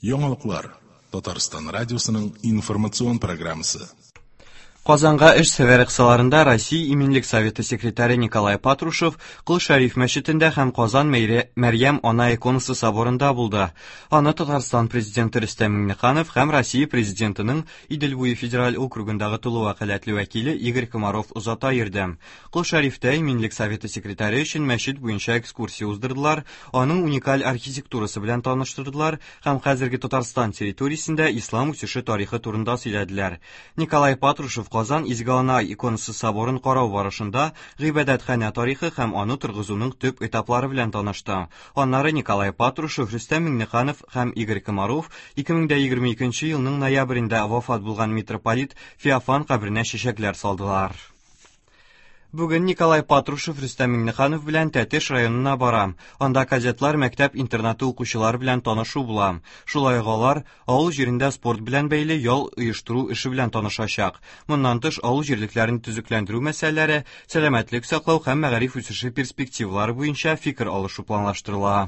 Яңалыклар. Татарстан радиосының информацион программасы. Казанга эш сәфәре кысаларында Россия Иминлек Советы секретаре Николай Патрушев Кол Шәриф мәчетендә һәм Казан Мәрьям Ана иконасы соборында булды. Аны Татарстан президенты Рөстәм Миңнеханов һәм Россия президентының Идел буе федераль округындагы тулы вәкаләтле вәкиле Игорь Комаров озата йөрде. Кол Шәрифтә Иминлек Советы секретаре өчен мәчет буенча экскурсия уздырдылар, аның уникаль архитектурасы белән таныштырдылар һәм хәзерге Татарстан территориясендә ислам үсеше тарихы турында сөйләделәр. Николай Патрушев Казан Изге Ана иконасы соборын карау барышында гыйбадәтханә тарихы һәм аны торгызуның төп этаплары белән танышты. Аннары Николай Патрушев, Рөстәм Миңнеханов һәм Игорь Комаров 2022 елның ноябрендә вафат булган митрополит Феофан каберенә чәчәкләр салдылар. Бүген Николай Патрушев Рөстәм Миңнеханов белән Тәтеш районына бара. Анда кадетлар мәктәп-интернаты укучылары белән танышу була. Шулай ук алар авыл җирендә спорт белән бәйле ял оештыру эше белән танышачак. Моннан тыш, авыл җирлекләрен төзекләндерү мәсьәләләре, сәламәтлек саклау һәм мәгариф үсеше перспективалары буенча фикер алышу планлаштырыла.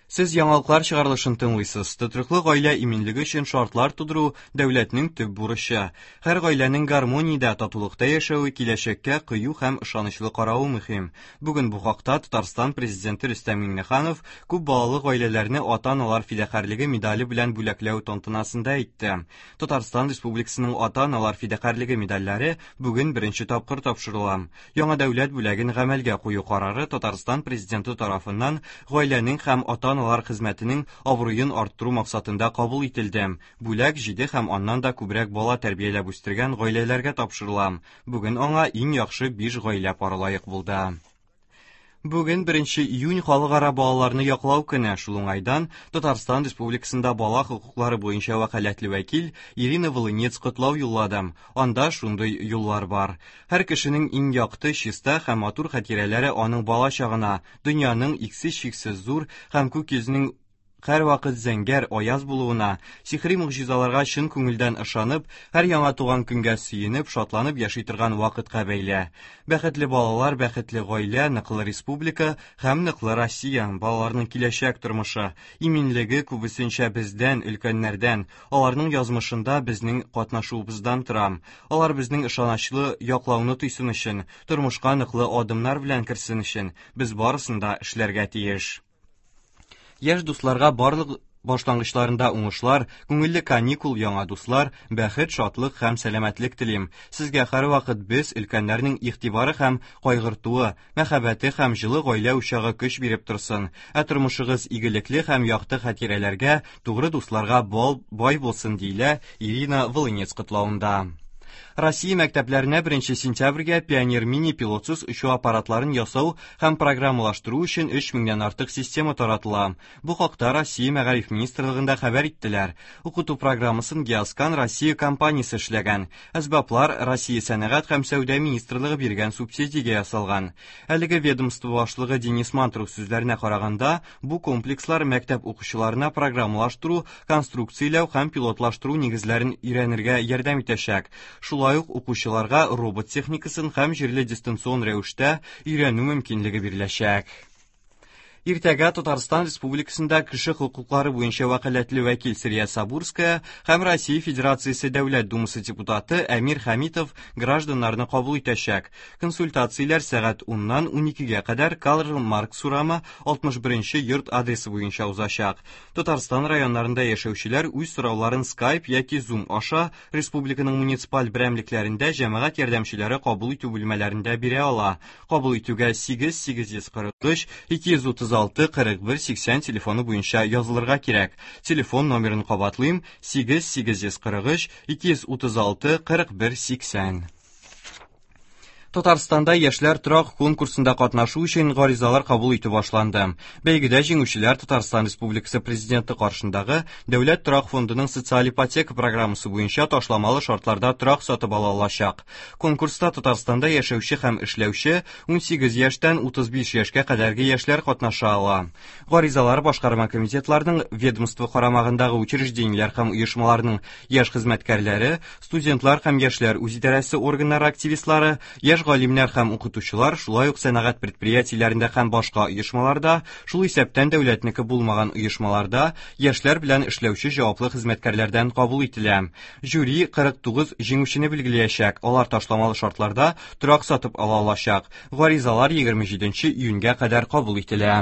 Сез яңалыклар чыгарылышын тыңлыйсыз. Тотрыклы гаилә иминлеге өчен шартлар тудыру дәүләтнең төп бурычы. Һәр гаиләнең гармониядә, татулыкта яшәве, киләчәккә кыю һәм ышанычлы каравы мөһим. Бүген бу хакта Татарстан Президенты Рөстәм Миңнеханов күп балалы гаиләләрне ата-аналар фидакарьлеге медале белән бүләкләү тантанасында әйтте. Татарстан Республикасының ата-аналар фидакарьлеге медальләре бүген беренче тапкыр тапшырыла. Яңа дәүләт бүләген гамәлгә кую карары Татарстан Президенты тарафыннан гаиләнең һәм ата-аналар хезмәтенең абруен арттыру максатында кабул ителде. Бүләк җиде һәм аннан да күбрәк бала тәрбияләп үстергән гаиләләргә тапшырыла. Бүген аңа иң яхшы биш гаилә пары лаек булды. Бүген 1 июнь халыкара балаларны яклау көне. Шул уңайдан Татарстан Республикасында бала хокуклары буенча вәкаләтле вәкил Ирина Волынец котлау юллады. Анда шундый юллар бар. Һәр кешенең иң якты, чиста һәм матур хатирәләре аның бала чагына, дөньяның иксез-чиксез зур һәм күк йөзенең һәрвакыт зәңгәр, аяз булуына, сихри могҗизаларга чын күңелдән ышанып, һәр яңа туган көнгә сөенеп, шатланып яши торган вакытка бәйле. Бәхетле балалар, бәхетле гаилә, ныклы республика һәм ныклы Россия, балаларның киләчәк тормышы, иминлеге күбесенчә бездән, өлкәннәрдән, аларның язмышында безнең катнашуыбыздан тора. Алар безнең ышанычлы яклауны тойсын өчен, тормышка ныклы адымнар белән керсен өчен, без барысын да эшләргә тиеш. Яшь дусларга барлык башлангычларында уңышлар, күңелле каникул, яңа дуслар, бәхет, шатлык һәм сәламәтлек телим. Сезгә һәрвакыт без, өлкәннәрнең игътибары һәм кайгыртуы, мәхәббәте һәм җылы гаилә учагы көч биреп торсын. Ә тормышыгыз игелекле һәм якты хатирәләргә, тугры дусларга бай булсын, диелә Ирина Волынец котлавында. Россия мәктәпләренә 1 сентябрьгә Пионер мини пилотсыз очу аппаратларын ясау һәм программалаштыру өчен 3 меңнән артык система таратыла. Бу хакта Россия Мәгариф министрлыгында хәбәр иттеләр. Укыту программасын Геоскан Россия компаниясе эшләгән. Әсбаплар Россия сәнәгать һәм сәүдә министрлыгы биргән субсидиягә ясалган. Әлеге ведомство башлыгы Денис Мантуров сүзләренә караганда, бу комплекслар мәктәп укучыларына программалаштыру, конструкцияләү һәм пилотлаштыру нигезләрен өйрәнергә ярдәм итәчәк. Шулай ук укучыларга робот техникасын һәм җирле дистанцион рәвештә өйрәнү мөмкинлеге биреләчәк. Иртәгә Татарстан Республикасында кеше хокуклары буенча вәкаләтле вәкил Сәрия Сабурская һәм Россия Федерациясе Дәүләт Думасы депутаты Әмир Хәмитов гражданнарны кабул итәчәк. Консультацияләр сәгать 10-нан 12-гә кадәр Карл Маркс урамы 61 йорт адресы буенча узачак. Татарстан районнарында яшәүчеләр үз сорауларын Skype яки Zoom аша республиканың муниципаль берәмлекләрендә җәмәгать ярдәмчеләре кабул итү бүлмәләрендә бирә ала. Кабул итүгә 8 843 236 41 80 телефоны буенча язылырга кирәк. Телефон номерын кабатлыйм: 8 843 236 41 80. Татарстанда яшьләр торак конкурсында катнашу өчен гаризалар кабул итү башланды. Бәйгедә җиңүчеләр Татарстан Республикасы Президенты каршындагы Дәүләт торак фондының социаль ипотека программасы буенча ташламалы шартларда торак сатып ала алачак. Конкурста Татарстанда яшәүче һәм эшләүче 18 яшьтән 35 яшькә кадәрге яшьләр катнаша ала. Гаризалар башкарма комитетларның ведомство карамагындагы учреждениеләр һәм оешмаларның яшь хезмәткәрләре, студентлар һәм яшьләр үзидарәсе органнары активистлары, яшь Яшь галимнәр һәм укытучылар, шулай ук сәнәгать предприятиеләрендә һәм башка оешмаларда, шул исәптән дәүләтнеке булмаган оешмаларда яшьләр белән эшләүче җаваплы хезмәткәрләрдән кабул ителә. Жюри 49 җиңүчене билгеләячәк, алар ташламалы шартларда торак сатып ала алачак. Гаризалар 27 июньгә кадәр кабул ителә.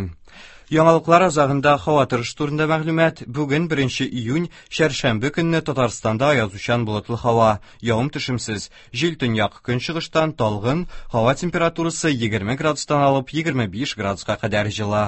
Яңалыклар азагында һава торышы турында мәгълүмат. Бүген 1 июнь, чәршәмбе көнне Татарстанда аязучан болытлы һава, явым-төшемсез. Җил төньяк көнчыгыштан талгын, һава температурасы 20 градустан алып 25 градуска кадәр җылы.